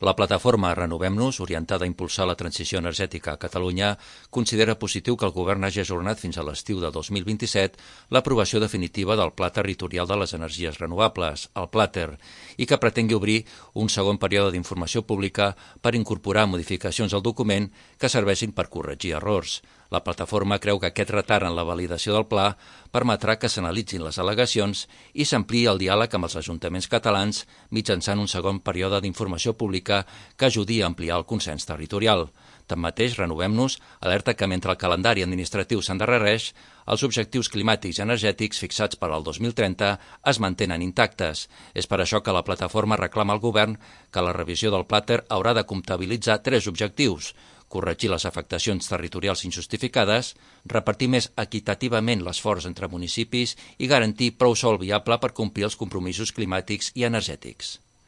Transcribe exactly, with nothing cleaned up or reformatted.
La plataforma Renovem-nos, orientada a impulsar la transició energètica a Catalunya, considera positiu que el govern hagi ajornat fins a l'estiu de dos mil vint-i-set l'aprovació definitiva del Pla Territorial de les Energies Renovables, el Plater, i que pretengui obrir un segon període d'informació pública per incorporar modificacions al document que serveixin per corregir errors. La plataforma creu que aquest retard en la validació del pla permetrà que s'analitzin les al·legacions i s'ampliï el diàleg amb els ajuntaments catalans mitjançant un segon període d'informació pública que ajudi a ampliar el consens territorial. Tanmateix, Renovem-nos alerta que mentre el calendari administratiu s'endarrereix, els objectius climàtics i energètics fixats per al dos mil trenta es mantenen intactes. És per això que la plataforma reclama al govern que la revisió del Plater haurà de comptabilitzar tres objectius: corregir les afectacions territorials injustificades, repartir més equitativament l'esforç entre municipis i garantir prou sòl viable per complir els compromisos climàtics i energètics.